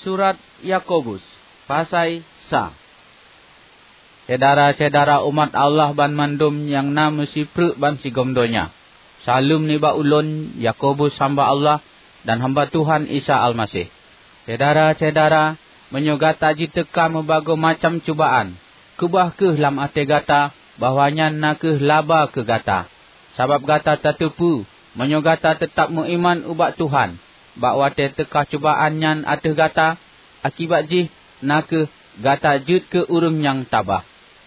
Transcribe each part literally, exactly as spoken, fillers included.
Surat Yakobus, pasai sa. Syedara-syedara umat Allah banmandum nyang na meusipreuk bansigom donya. Saleuem nibak ulôn, Yakobus, hamba Allah dan hamba Tuhan Isa Almaseh. Syedara-syedara, meunyoe gata jiteuka meubagoe macam cubaan, keubah kheueh lam até gata bahwa nyan na kheueh laba keu gata. Sabab gata tateupeue, meunyoe gata teutab meuiman ubak Tuhan, bak watée teuka cubaan nyan ateueh gata, akibat jih na kheueh gata jeuet keu ureuëng nyang tabah.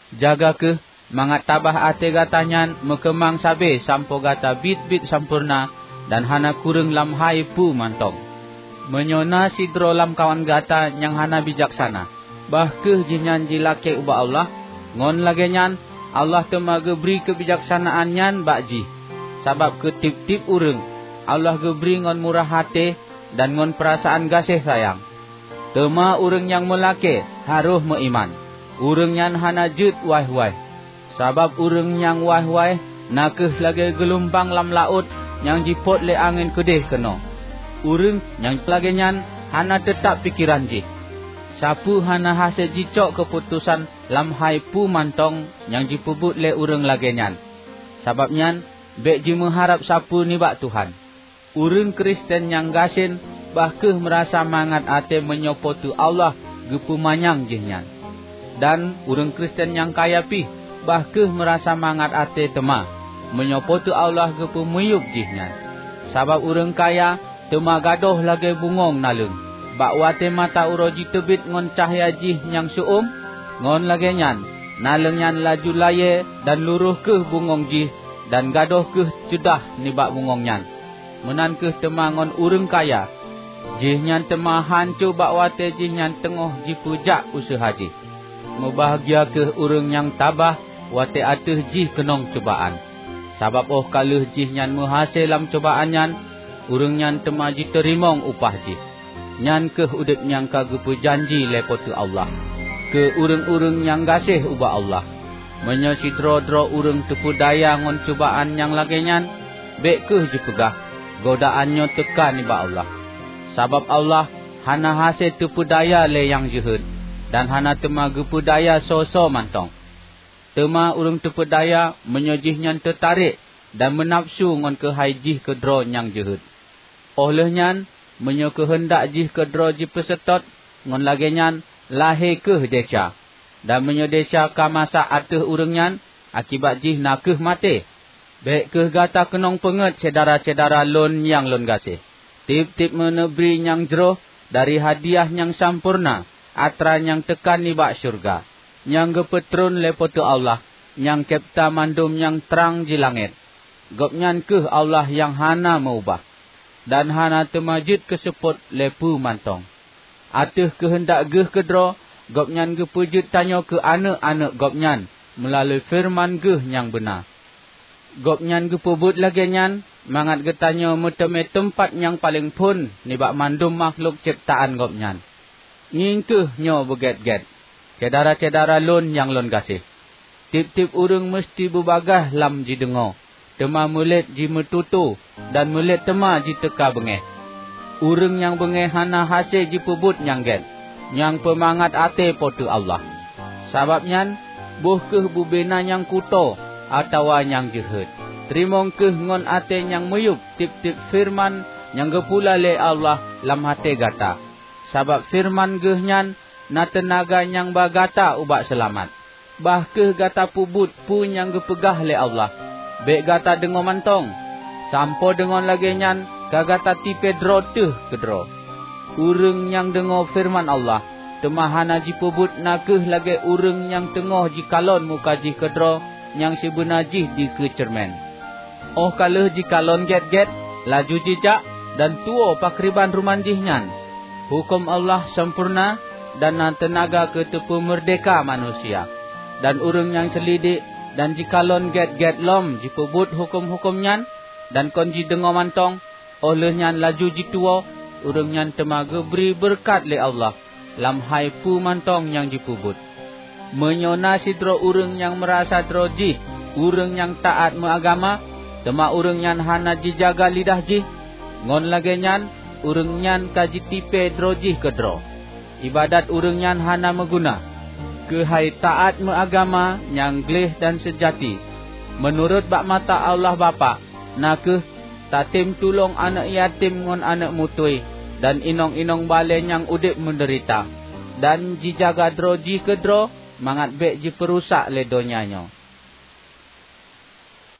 Jaga kheueh mangat tabah até gata nyan meukeumang sabe sampoe gata biet-biet sampoereuna dan hana kureueng lam hai peue mantong. Meunyoe na sidroe lamkawan gata nyang hana bijaksana, bah kheueh jihnyan jilakée ubak Allah, ngon lagée nyan Allah teuma geubri keubijaksanaan nyan bak jih. Sabab keu tieb-tieb ureuëng Allah geubri ngon murah até dan ngon peurasaan gaséh sayang. Teuma ureuëng nyang meulakée harôh meuiman. Ureuëng nyan hana jeuet waih-waih, sabab ureuëng nyang waih-waih na kheueh lagée geulumbang lam laôt nyang jipot lé angén keudeh keunoe. Ureuëng nyang lagée nyan hana teutab pikeran jih. Sapeue hana hase jicok keuputosan lam hai peue mantong nyang jipeubuet lé ureuëng lagée nyan. Sabab nyan, bék jimeuharab sapeue nibak Tuhan. Ureuëng Kristen nyang gasien bah kheueh meurasa mangat até meunyoe Po teu Allah geupeumanyang jihnyan. Dan ureuëng Kristen nyang kaya pih bah kheueh meurasa mangat até teuma meunyoe Po teu Allah geupeumiyueb jihnyan. Sabab ureuëng kaya teuma gadôh lagée bungöng naleueng, bak watée mata uroe jiteubiet ngon cahya jih nyang seu-uem. Ngon lagée nyan, naleueng nyan laju layée dan luroh kheueh bungöng jih dan gadôh kheueh ceudah nibak bungöng nyan. Meunan kheueh teuma ngon ureuëng kaya, jihnyan teuma hanco bak watée jihnyan teungoh jipeujak useuha jih. Mubahgia kheueh ureuëng nyang tabah watée ateueh jih keunong cubaan, sabab óh ka lheueh jihnyan meuhase lam cubaan nyan, ureuëng nyan teuma jiteurimong upah jih. Nyan kheueh udeb nyang ka geupeujanji lé Po teu Allah keu ureuëng-ureuëng nyang gaséh ubak Allah. Meunyoe sidroe-droe ureuëng teupeudaya ngon cubaan nyang lagée nyan, bék kheueh jipeugah, "Godaan nyoe teuka nibak Allah." Sabab Allah hana hase teupeudaya lé nyang jeuhet, dan hana teuma geupeudaya soe-soe mantong. Teuma ureuëng teupeudaya meunyoe jihnyan teutarek dan meunafeusu ngon keuhai jih keudroe nyang jeuhet. Óh lheueh nyan, meunyoe keuheundak jih keudroe jipeuseutôt, ngon lagée nyan lahé kheueh desya. Dan meunyoe desya ka masak ateueh ureuëng nyan, akibat jih na kheueh maté. Bék kheueh gata keunong peungét, syedara-syedara lôn nyang lôn gaséh. Tieb-tieb meuneubri nyang jroh dari hadiah nyang sampoereuna atra nyang teuka nibak syeuruga, nyang geupeutron lé Po teu Allah, nyang cebta mandum nyang trang di langét. Gobnyan kheueh Allah nyang hana meu-ubah, dan hana teuma jeuet keuseupôt lé peue mantong. Ateueh keuheundak Geuh keudroe, Gobnyan geupeujeuet tanyoe keu aneuëk-aneuëk Gobnyan meulalu feureuman Geuh nyang beuna. Gobnyan geupeubuet lagée nyan mangat geutanyoe meuteumé teumpat nyang paleng phon nibak mandum makhlok cebtaan Gobnyan. Ngieng kheueh nyoe beugét-gét, syedara-syedara lôn nyang lôn gaséh. Tieb-tieb ureuëng meuseuti beubagaih lam jideungoe, teuma meulet jimeututoe dan meulet teuma jiteuka beungéh. Ureuëng nyang beungéh hana hase jipeubuet nyang gét, nyang peumangat até Po teu Allah. Sabab nyan, boh kheueh bubena nyang kutoe atawa nyang jeuhet. Teurimong kheueh ngon até nyang meuyueb tieb-tieb feureuman nyang geupula lé Allah lam até gata, sabab feureuman Geuh nyan na teunaga nyang ba gata ubak seulamat. Bah kheueh gata peubuet peue nyang geupeugah lé Allah, bék gata deungoe mantong, sampoe deungon lagée nyan ka gata tipée droe teuh keudroe. Ureuëng nyang deungoe feureuman Allah, teuma hana jipeubuet na kheueh lagée ureuëng nyang teungoh jikalon muka jih keudroe nyang sibeuna jih dikeue ceureumen. Óh ka lheueh jikalon gét-gét, laju jijak dan tuwoe pakriban ruman jih nyan. Huköm Allah sampoereuna dan na teunaga keu teupeumeurdéhka manusia. Dan ureuëng nyang seulidik dan jikalon gét-gét lom jipeubuet huköm-huköm nyan dan kon jideungoe mantong, óh lheueh nyan laju jituwoe, ureuëng nyan teuma geubri beureukat lé Allah lam hai peue mantong nyang jipeubuet. Meunyoe na sidroe ureuëng nyang meurasa droe jih ureuëng nyang taát meuagama, teuma ureuëng nyan hana jijaga lidah jih, ngon lagée nyan ureuëng nyan ka jitipée droe jih keudroe. iébadat ureuëng nyan hana meuguna. Keuhai taát meuagama nyang gleh dan seujati, meunurot bak mata Allah Bapak, na kheueh tatem tulông aneuëk yatim ngon aneuëk mutui dan inong-inong balée nyang udeb meudeurita, dan jijaga droe jih keudroe mangat bék jipeurusak lé donya nyoe.